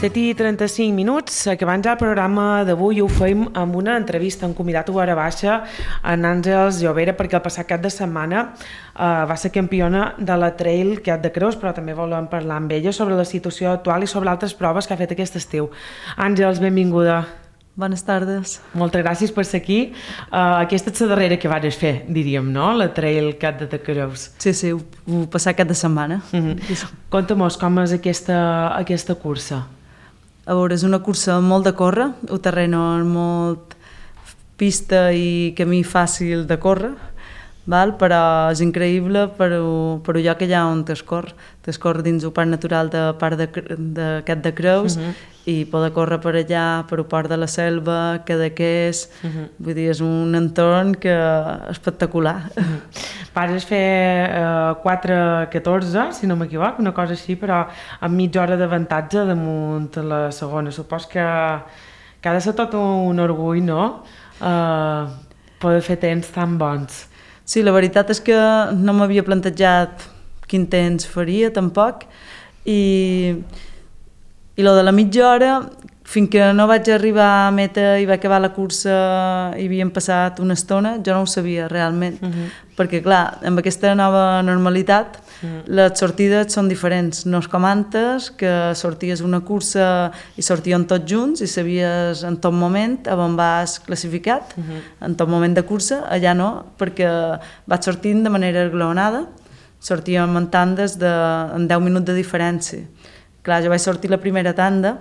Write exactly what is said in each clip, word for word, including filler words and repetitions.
set i trenta-cinc minuts, acabant ja el programa d'avui ho fem amb una entrevista, hem convidat a Hora Baixa en Àngels Llovera perquè el passat cap de setmana eh, va ser campiona de la Trail Cap de Creus, però també volem parlar amb ella sobre la situació actual i sobre altres proves que ha fet aquest estiu. Àngels, benvinguda. Bones tardes. Moltes gràcies per ser aquí. Uh, aquesta és la darrera que vares fer, diríem, no? La Trail Cap de Creus. Sí, sí, ho, ho passar cap de setmana. Mm-hmm. Conta-mos com és aquesta, aquesta cursa. A veure, és una cursa molt de córrer, el terreny és molt pista i camí fàcil de córrer, val? Però és increïble per el lloc que hi ha on t'escorre. T'escorre dins el parc natural de Parc de, de Cap de Creus, mm-hmm. i poder córrer per allà, per el port de la Selva, Cadaqués, uh-huh. vull dir, és un entorn que espectacular. Uh-huh. Vares fer eh, quatre catorze, si no m'equivoc, una cosa així, però amb mitja hora d'avantatge damunt la segona. Supos que, que ha de ser tot un orgull, no?, eh, poder fer temps tan bons. Sí, la veritat és que no m'havia plantejat quin temps faria, tampoc, i... I lo de la mitja hora, fins que no vaig arribar a meta i va acabar la cursa i havíem passat una estona, jo no ho sabia realment. Uh-huh. Perquè, clar, amb aquesta nova normalitat, uh-huh. les sortides són diferents. No és com antes, que sorties una cursa i sortíem tots junts i sabies en tot moment on vas classificat, uh-huh. en tot moment de cursa. Allà no, perquè vaig sortint de manera esglaonada, sortíem en tandes de, en deu minuts de diferència. Clar, jo vaig sortir la primera tanda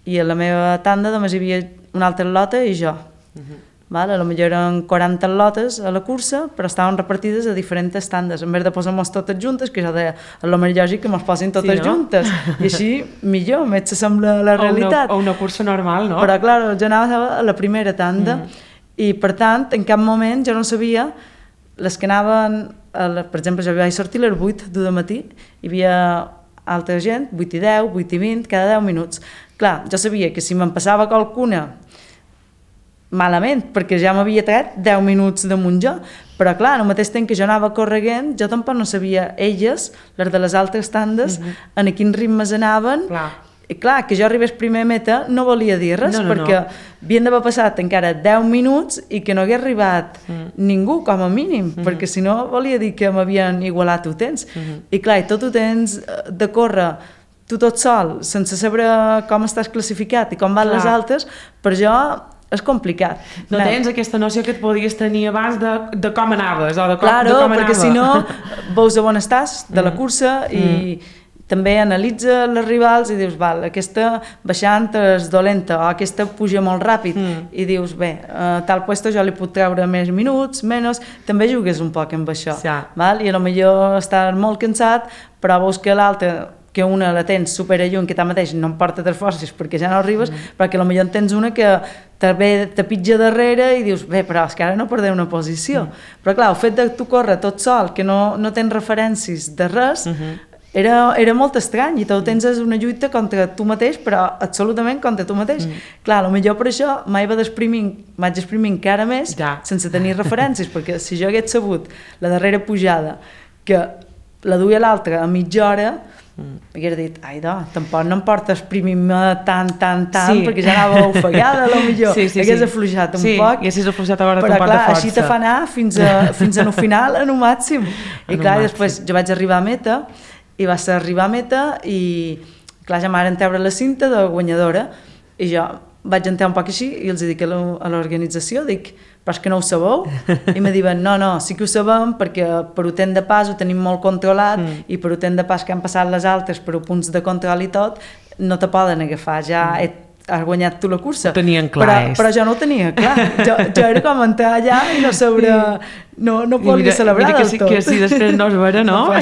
i a la meva tanda només hi havia una altra lota i jo. Uh-huh. Val? A lo millor eren quaranta lotes a la cursa, però estaven repartides a diferents tandes. En vez de posar-nos totes juntes, que jo deia, és el més lògic que mos posin totes sí, no? juntes. I així, millor, més s'assembla a la realitat. O una, o una cursa normal, no? Però, clar, jo anava a la primera tanda uh-huh. i, per tant, en cap moment jo no sabia les que anaven, a la, per exemple, jo vaig sortir a les vuit de matí, hi havia altra gent, vuit i deu, vuit i vint, cada deu minuts. Clar, jo sabia que si me'n passava qualcuna malament, perquè ja m'havia tret deu minuts damunt jo, però clar, al mateix temps que jo anava correguent, jo tampoc no sabia elles, les de les altres tandes, uh-huh. en quins ritmes anaven. Clar. I clar, que jo arribés primer a meta no volia dir res, no, no, perquè no. havien d'haver passat encara deu minuts i que no hagués arribat mm. ningú, com a mínim, mm-hmm. perquè si no volia dir que m'havien igualat el temps. Mm-hmm. I clar, i tot el temps de córrer tu tot sol, sense saber com estàs classificat i com van clar. Les altres, per jo és complicat. No Anem. Tens aquesta noció que et podies tenir abans de, de com anaves o de com, claro, de com anava. Perquè si no veus on estàs de la cursa mm. i mm. també analitza les rivals i dius, val, aquesta baixant és dolenta o aquesta puja molt ràpid mm. i dius, bé, a tal puesto jo li puc treure més minuts, menys, també jugues un poc amb això, sí. val? I a lo millor estàs molt cansat, però veus que l'altra, que una la tens superalluny, que tanmateix no em porta tres forces perquè ja no arribes, mm. però que a lo millor en tens una que també te pitja darrere i dius, bé, però és que ara no perdeu una posició. Mm. Però clar, el fet de tu córrer tot sol, que no, no tens referències de res, mm-hmm. Era, era molt estrany i tot el temps és una lluita contra tu mateix, però absolutament contra tu mateix. Mm. Clar, potser per això mai va desprimint, vaig exprimir encara més ja. Sense tenir referències, perquè si jo hagués sabut la darrera pujada que la duia l'altra a mitja hora, mm. hagués dit, ai, do, tampoc no em porta exprimir-me tant, tant, tant, sí. perquè ja anava ofegada, potser sí, sí, hagués sí. afluixat un sí, poc, haguessis afluixat ara però clar, així te fa anar fins, a, fins a no final, en un màxim. I clar, després jo vaig arribar a meta, i va ser arribar a meta i clar, ja m'aren treure la cinta de guanyadora i jo vaig entrar un poc així i els dic a l'organització, dic, però és que no ho sabeu? I me diuen, no, no, sí que ho sabem perquè per un temps de pas ho tenim molt controlat mm. i per un temps de pas que han passat les altres per punts de control i tot, no te poden agafar, ja mm. has guanyat tu la cursa. Ho tenien clar. Però, però jo no ho tenia clar. Jo, jo era com entrar allà i no saber... No, no volia celebrar del si, tot. Que si després no es veure, no? no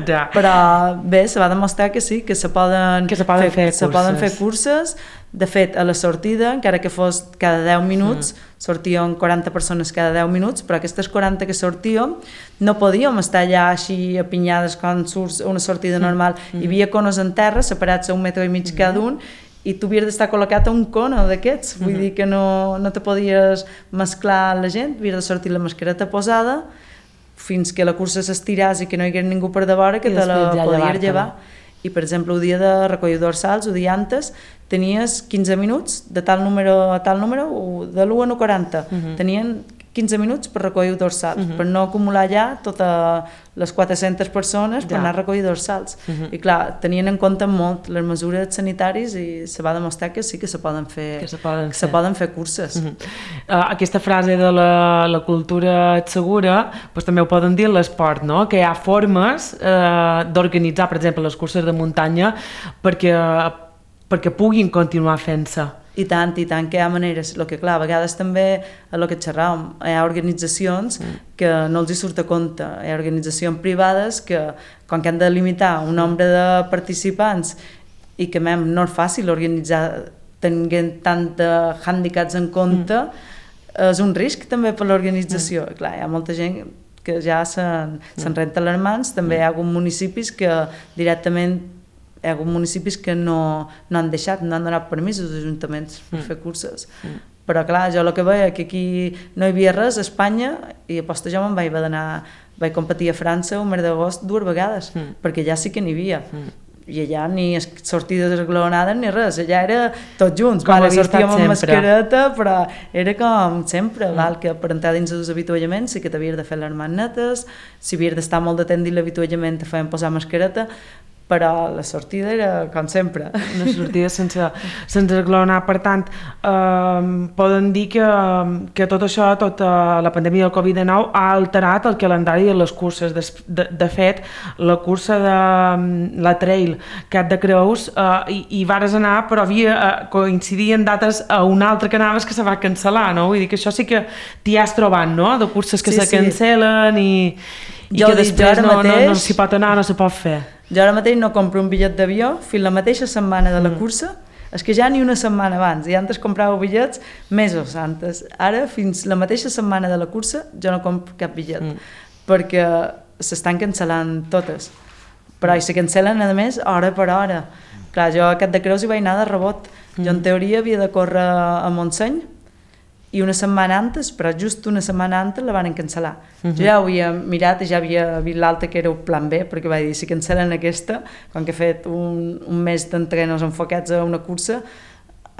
ja. Però bé, se va demostrar que sí, que se poden, que se poden, fer, fer, se poden fer curses. De fet, a la sortida, encara que fos cada deu minuts, mm. sortíem quaranta persones cada deu minuts, però aquestes quaranta que sortíem no podíem estar allà així apinyades quan surts una sortida normal. Mm. Hi havia conos en terra, separats a un metre i mig mm. cada un, i tu havies d'estar col·locat a un cono d'aquests, vull mm-hmm. dir que no, no te podies mesclar la gent, havies de sortir la mascareta posada fins que la cursa s'estiràs i que no hi hagués ningú per de vora que te la ja podies llevar. i per exemple el dia de recollir dorsals, el dia antes, tenies quinze minuts de tal número a tal número, de l'u a l'u quaranta, uh-huh. tenien quinze minuts per recollir dorsals, uh-huh. per no acumular ja totes les quatre-centes persones per ja. anar a recollir dorsals. Uh-huh. I clar, tenien en compte molt les mesures sanitàries i se va demostrar que sí que se poden fer, que se poden, que se poden fer curses. Uh-huh. uh, aquesta frase de la, la cultura et segura, doncs també ho poden dir l'esport, no? Que hi ha formes uh, d'organitzar, per exemple, les curses de muntanya perquè, perquè puguin continuar fent-se. I tant, i tant, que hi ha maneres. El que, clar, a vegades també, a lo que xerràvem, hi ha organitzacions mm. que no els hi surt a compte. Hi ha organitzacions privades que, quan que han de limitar un nombre de participants i que mem, no és fàcil organitzar tenint tant de hàndicaps en compte, mm. és un risc també per l'organització. Mm. Clar, hi ha molta gent que ja se'n se renta les mans, també mm. hi ha alguns municipis que directament hi ha hagut municipis que no, no han deixat, no han donat permisos als ajuntaments per mm. fer curses. Mm. Però clar, jo el que veia que aquí no hi havia res a Espanya i aposta jo me'n vaig d'anar, vaig competir a França el mes d'agost dues vegades, mm. perquè ja sí que n'hi havia. Mm. I allà ni sortides esglaonades ni res, allà era tots junts, vale, sortíem amb mascareta, però era com sempre, mm. val, que per entrar dins dels avituallaments sí que t'havies de fer les mans netes, si havies d'estar molt de temps dins l'avituallament te feien posar mascareta, però la sortida era com sempre. Una sortida sense, sense esglaonar. Per tant, eh, poden dir que, que tot això, tota la pandèmia del covid dinou ha alterat el calendari de les curses. De, de, de fet, la cursa de la Trail Cap de Creus eh, hi, hi vares anar, però havia eh, coincidien dates a una altra que anaves que se va cancel·lar, no? Vull dir que això sí que t'hi has trobat, no? De curses que sí, se cancel·len i, i que després no, mateix, no, no s'hi pot anar, no s'hi pot fer. Jo ara mateix no compro un bitllet d'avió fins la mateixa setmana de la cursa, mm. és que ja ni una setmana abans, i antes comprava bitllets mesos antes. Ara, fins la mateixa setmana de la cursa, jo no compro cap bitllet, mm. perquè s'estan cancel·lant totes. Però i se cancel·len, a més, hora per hora. Clar, jo a Cap de Creus hi vaig anar de rebot. Mm. Jo, en teoria, havia de córrer a Montseny, i una setmana antes, però just una setmana antes la van cancel·lar. Uh-huh. Jo ja ho havia mirat i ja havia vist l'altra que era el plan B, perquè vaig dir, si cancel·len aquesta, quan que he fet un, un mes d'entrenos enfocats a una cursa,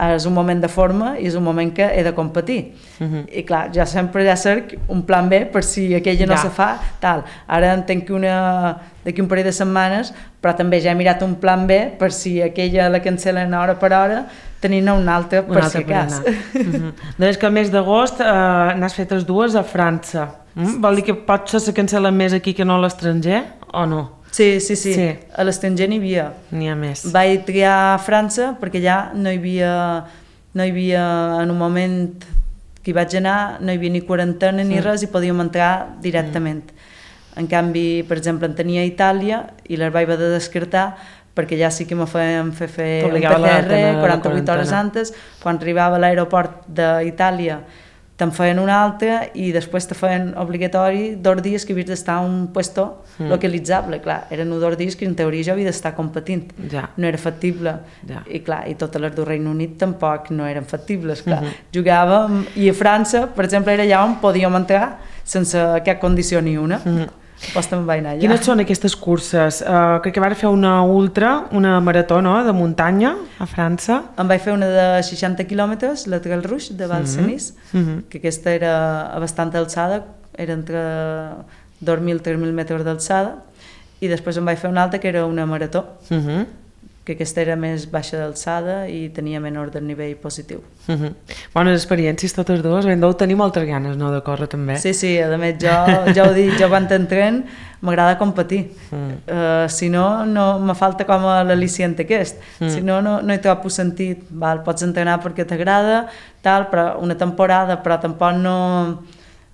és un moment de forma i és un moment que he de competir. Uh-huh. I clar, ja sempre ja cerc un plan B per si aquella no ja. se fa, tal. Ara entenc que una d'aquí un parell de setmanes, però també ja he mirat un plan B per si aquella la cancel·len hora per hora, tenint una altra per si cas. Uh-huh. Doncs que al mes d'agost eh, n'has fet les dues a França. Mm? Vol dir que potser se cancel·len més aquí que no a l'estranger, o no? Sí, sí, sí, sí. A l'estranger n'hi havia. N'hi ha més. Vaig triar França perquè allà no hi havia, no hi havia en un moment que hi vaig anar, no hi havia ni quarantena ni sí. res i podíem entrar directament. Mm. En canvi, per exemple, en tenia a Itàlia i les vaig haver de descartar perquè ja sí que me feien fer, fer un P C R quaranta-vuit hores antes, quan arribava a l'aeroport d'Itàlia te'n feien una altra i després te feien obligatori dos dies que havies d'estar a un puesto mm. localitzable. Clar, eren dos dies que en teoria jo havia d'estar competint. Ja. No era factible. Ja. I clar, i totes les del Regne Unit tampoc no eren factibles. Clar. Mm-hmm. Jugàvem, i a França, per exemple, era allà on podíem entrar sense cap condició ni una. Mm-hmm. Pues te'n vaig anar allà. Quines són aquestes curses? Uh, crec que vas fer una ultra, una marató, no?, de muntanya a França. Em vaig fer una de seixanta quilòmetres, la Trail Rouge de Val-Senís, mm-hmm. que aquesta era a bastanta alçada, era entre dos mil i tres mil metres d'alçada, i després em vaig fer una altra que era una marató, mm-hmm. que aquesta era més baixa d'alçada i tenia menor desnivell positiu. Mm-hmm. Bones experiències totes dues, ben deu tenir moltes ganes, no?, de córrer també. Sí, sí, a més jo, ja ho dic, jo quan t'entren m'agrada competir, mm. uh, si no, no me falta com a l'al·licient aquest, mm. si no, no, no hi trobo sentit, val? Pots entrenar perquè t'agrada, tal, però una temporada, però tampoc no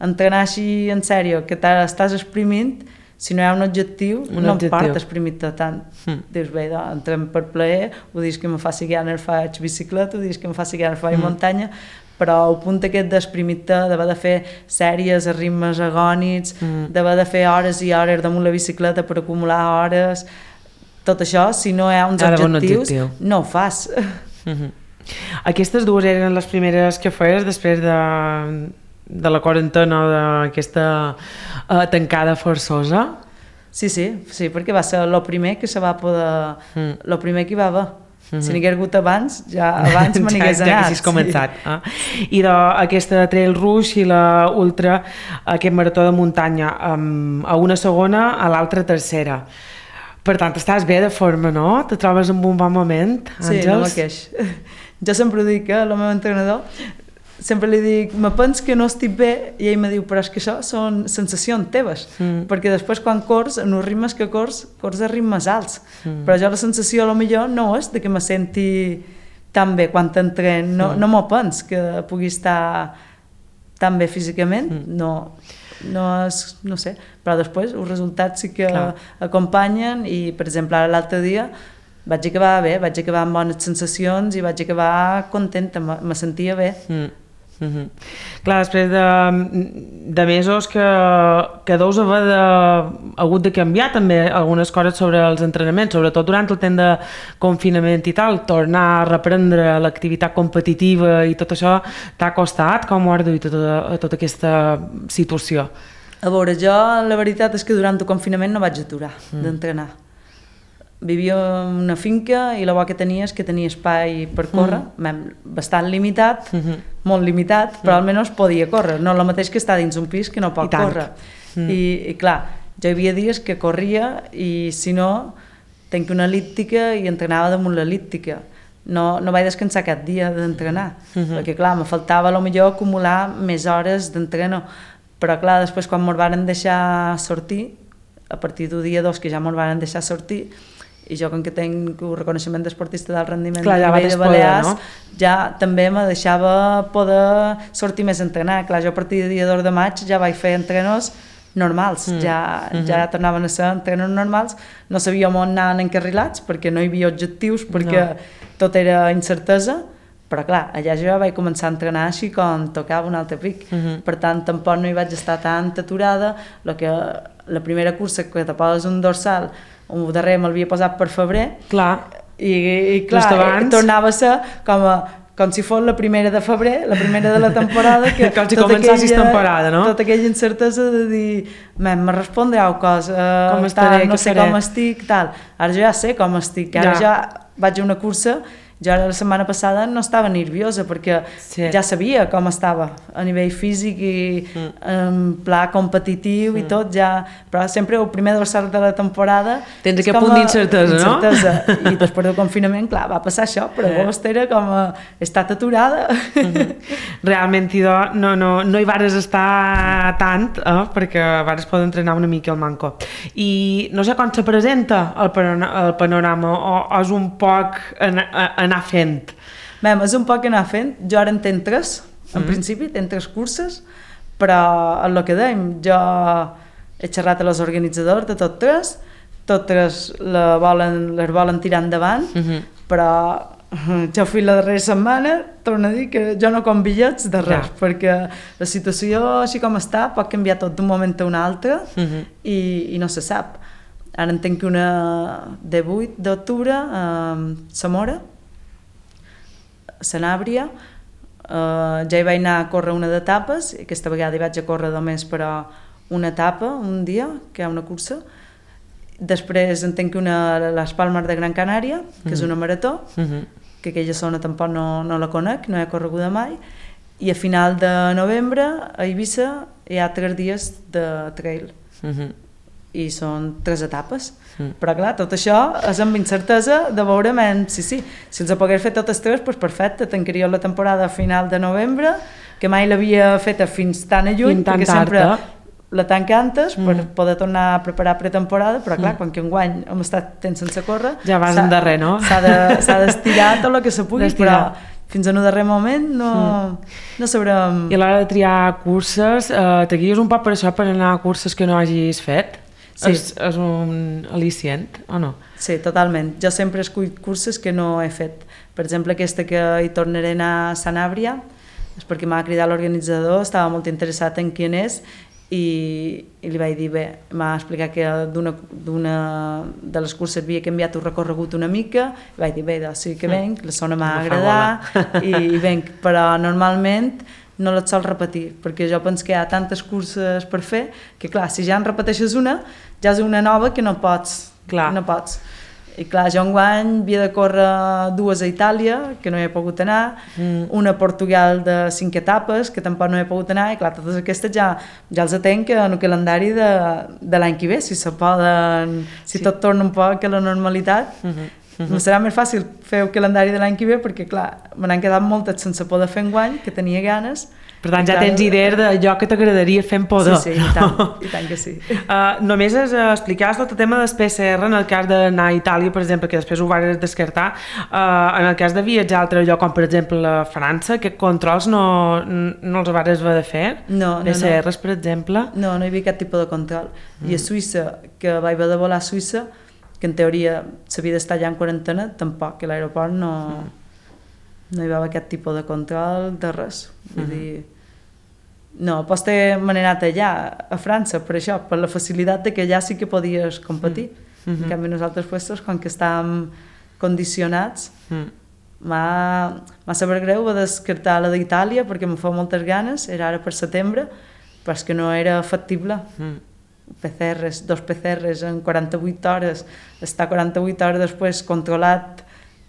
entrenar així en sèrio, que estàs exprimint. Si no hi ha un objectiu, un no objectiu. Em part exprimir-te tant. Mm. Dius, bé, doncs, entrem per plaer, ho dius que me faci gana faig bicicleta, ho dius que me faci gana faig mm. muntanya, però el punt aquest d'exprimir-te, d'haver de fer sèries a ritmes agònics, mm. d'haver de fer hores i hores damunt la bicicleta per acumular hores, tot això, si no hi ha uns Ara objectius, objectiu. No ho fas. Mm-hmm. Aquestes dues eren les primeres que feies després de... de la quarantena, d'aquesta uh, tancada forçosa? Sí, sí, sí, perquè va ser el primer que se va poder... Mm. El primer que hi va haver. Mm-hmm. Si n'hi hagués hagut abans, ja abans me n'hagués ja, anat. Ja haguessis començat. Sí. Eh? I d'aquesta Trail Rush i la Ultra, aquest marató de muntanya, um, a una segona, a l'altra tercera. Per tant, estàs bé de forma, no? Te trobes en un bon moment, Àngels? Sí, no me queix. Jo sempre ho dic, eh, el meu entrenador, sempre li dic, me pens que no estic bé, i ell me diu, però és que això són sensacions teves, mm. perquè després quan cors, en els ritmes que cors, cors a ritmes alts, mm. però jo la sensació a lo millor no és de que me senti tan bé quan t'entren, no, mm. no m'ho pens que pugui estar tan bé físicament, mm. no... no és, no sé, però després els resultats sí que Clar. acompanyen i, per exemple, ara l'altre dia vaig acabar bé, vaig acabar amb bones sensacions i vaig acabar contenta, me, me sentia bé. Mm. Mm-hmm. Clar, després de, de mesos que, que deus haver de, hagut de canviar també algunes coses sobre els entrenaments, sobretot durant el temps de confinament i tal, tornar a reprendre l'activitat competitiva i tot això t'ha costat? Com ho has duit a tota, a tota aquesta situació? A veure, jo la veritat és que durant el confinament no vaig aturar mm. d'entrenar. Vivia en una finca i la bo que tenia és que tenia espai per córrer, mm. bastant limitat, mm-hmm. molt limitat, però mm. almenys podia córrer, no el mateix que estar dins un pis que no pot córrer. Mm. I, I clar, jo hi havia dies que corria i si no, tenc una elíptica i entrenava damunt l'elíptica. No, no vaig descansar cap dia d'entrenar, mm-hmm. perquè clar, me faltava a lo millor acumular més hores d'entrenar, però clar, després quan me'l varen deixar sortir, a partir del dia dos que ja me'l varen deixar sortir, i jo com que tinc un reconeixement d'esportista d'alt rendiment Clar, ja de Balears, no? ja també me deixava poder sortir més a entrenar. Clar, jo a partir del dia dos de maig ja vaig fer entrenos normals, mm. ja, mm-hmm. ja tornaven a ser entrenos normals, no sabíem on anaven encarrilats perquè no hi havia objectius, perquè no. tot era incertesa, però clar, allà jo ja vaig començar a entrenar així com tocava un altre pic, mm-hmm. per tant tampoc no hi vaig estar tan aturada, lo que, la primera cursa que te poses un dorsal, un darrer me'l havia posat per febrer clar. i, i clar, i tornava a ser com, a, com si fos la primera de febrer, la primera de la temporada, que com si començassis temporada, no? Tota aquella incertesa de dir, me respondreu cosa, com estaré, tal, no sé seré. com estic, tal. Ara jo ja sé com estic, ara ja, ja vaig a una cursa. Jo ara la setmana passada no estava nerviosa perquè sí. ja sabia com estava a nivell físic i mm. en pla competitiu mm. i tot, ja, però sempre el primer dorsal de la temporada tens aquest punt d'incertesa, no? I després del confinament, clar, va passar això, però eh. agost era com a, he estat aturada. Mm-hmm. Realment, idò, no, no, no hi vares estar tant, eh, perquè vares poder entrenar una mica el manco. I no sé com se presenta el panorama, el panorama o, o és un poc en, en anar fent? Bé, és un poc anar fent. Jo ara en tenc tres, en mm. principi, tenc tres curses, però el que dèiem, jo he xerrat a les organitzadors de tot tres, tot tres la volen, les volen tirar endavant, mm-hmm. però jo fui la darrera setmana, torno a dir que jo no com bitllets de res, ja. perquè la situació així com està pot canviar tot d'un moment a un altre mm-hmm. i, i no se sap. Ara en tenc una de vuit d'octubre a Zamora, Sanàbria, uh, ja hi vaig anar a córrer una d'etapes, i aquesta vegada hi vaig a córrer només però una etapa, un dia, que hi ha una cursa. Després en tenc una a les Palmes de Gran Canària, que mm. és una marató, mm-hmm. que aquella zona tampoc no, no la conec, no he correguda mai, i a final de novembre a Eivissa hi ha tres dies de trail. Mm-hmm. I són tres etapes, mm. però clar, tot això és amb incertesa de veure men, sí, sí, si els pogués fer totes tres, doncs perfecte, tancaria la temporada a final de novembre, que mai l'havia feta fins tan a juny, tan perquè tard, sempre eh? la tanca antes mm. per poder tornar a preparar pretemporada, però clar, mm. quan que enguany hem estat temps sense córrer, ja vas en darrer, no? S'ha d'estirar de, tot el que se pugui, però fins en un darrer moment no, mm. no sabrem... I a l'hora de triar curses, eh, te guies un poc per això, per anar a curses que no hagis fet? Sí. És, és un al·licient, o no? Sí, totalment. Jo sempre escull curses que no he fet. Per exemple, aquesta que hi tornaré a anar a Sanàbria, és perquè m'ha cridat l'organitzador, estava molt interessat en qui és, i, i li vaig dir, bé, m'ha explicat que d'una de les curses havia canviat el recorregut una mica, i vaig dir, bé, doncs sí que venc, la zona m'ha agradat, i, i venc, però normalment no les sol repetir, perquè jo penso que hi ha tantes curses per fer que, clar, si ja en repeteixes una, ja és una nova que no pots. Clar. No pots. I clar, jo enguany havia de córrer dues a Itàlia, que no hi he pogut anar, mm. una a Portugal de cinc etapes, que tampoc no hi he pogut anar, i clar, totes aquestes ja, ja els atenc en el calendari de, de l'any que ve, si se poden, si sí. tot torna un poc a la normalitat. Mm-hmm. Mm-hmm. Serà més fàcil fer el calendari de l'any que ve, perquè clar, me n'han quedat moltes sense poder fer enguany, que tenia ganes. Per tant, ja tens idea d'allò que t'agradaria fer en poder. Sí, sí, i tant, i tant que sí. Uh, només es uh, explicaves tot el tema del P C R en el cas d'anar a Itàlia, per exemple, que després ho vas descartar. Uh, en el cas de viatjar a altre lloc, com per exemple a França, aquests controls no, no els vas haver de fer? No, no, P C Rs, no. per exemple? No, no hi havia cap tipus de control. Mm. I a Suïssa, que vaig haver de volar a Suïssa, que en teoria s'havia d'estar allà en quarantena, tampoc, que a l'aeroport no, mm. no hi va haver aquest tipus de control de res. Vull mm. dir... No, pots me n'he anat allà, a França, per això, per la facilitat de que allà sí que podies competir. Mm-hmm. En canvi, nosaltres, puestos, com que estàvem condicionats, mm. m'ha sabut greu de descartar la d'Itàlia, perquè em fa moltes ganes, era ara per setembre, però és que no era factible. Mm. P C Rs, dos P C Rs en quaranta-vuit hores, estar quaranta-vuit hores després controlat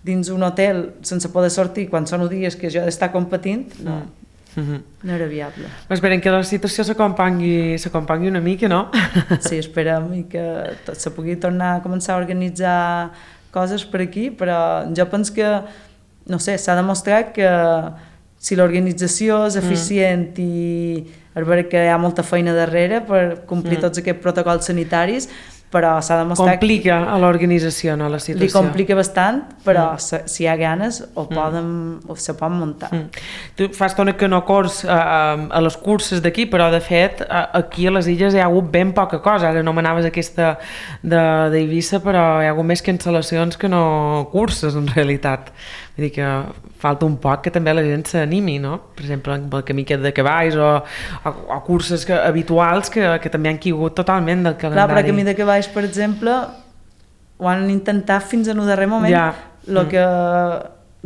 dins un hotel sense poder sortir quan són dies que jo he d'estar competint, no. Mm. Mm-hmm. No era viable. Esperem que la situació s'acompangui una mica, no? Sí, esperem i que tot se pugui tornar a començar a organitzar coses per aquí, però jo penso que, no sé, s'ha demostrat que si l'organització és eficient mm. i és vera que hi ha molta feina darrere per complir mm. tots aquests protocols sanitaris, però s'ha demostrat... Complica a l'organització, no, la situació. Li complica bastant, però mm. si hi ha ganes ho poden, mm. o se pot muntar. Mm. Tu fa estona que no cors uh, a les curses d'aquí, però de fet uh, aquí a les illes hi ha hagut ben poca cosa. Ara anomenaves aquesta d'Eivissa, però hi ha hagut més cancel·lacions que no curses, en realitat. Vull dir que falta un poc que també la gent s'animi, no? Per exemple, el camí aquest de cavalls o, o, o curses que, habituals que, que també han caigut totalment del calendari. Clar, però el camí de cavalls, per exemple, ho han intentat fins en un darrer moment, ja. el mm. que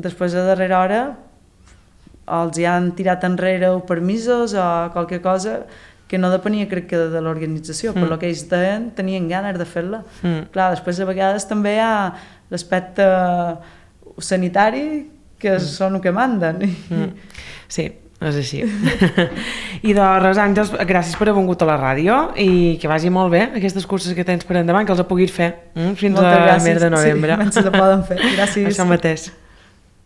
després de darrera hora els hi han tirat enrere o permisos o qualque cosa que no depenia, crec que, de l'organització, mm. per lo que ells deien, tenien ganes de fer-la. Mm. Clar, després de vegades també hi ha l'aspecte sanitari que mm. són el que manden. Mm. Sí, és així. I de res, Àngels, gràcies per haver vingut a la ràdio i que vagi molt bé aquestes curses que tens per endavant, que els puguis fer mm? fins Moltes a gràcies. mes de novembre. Sí, se poden fer. Gràcies. Això mateix.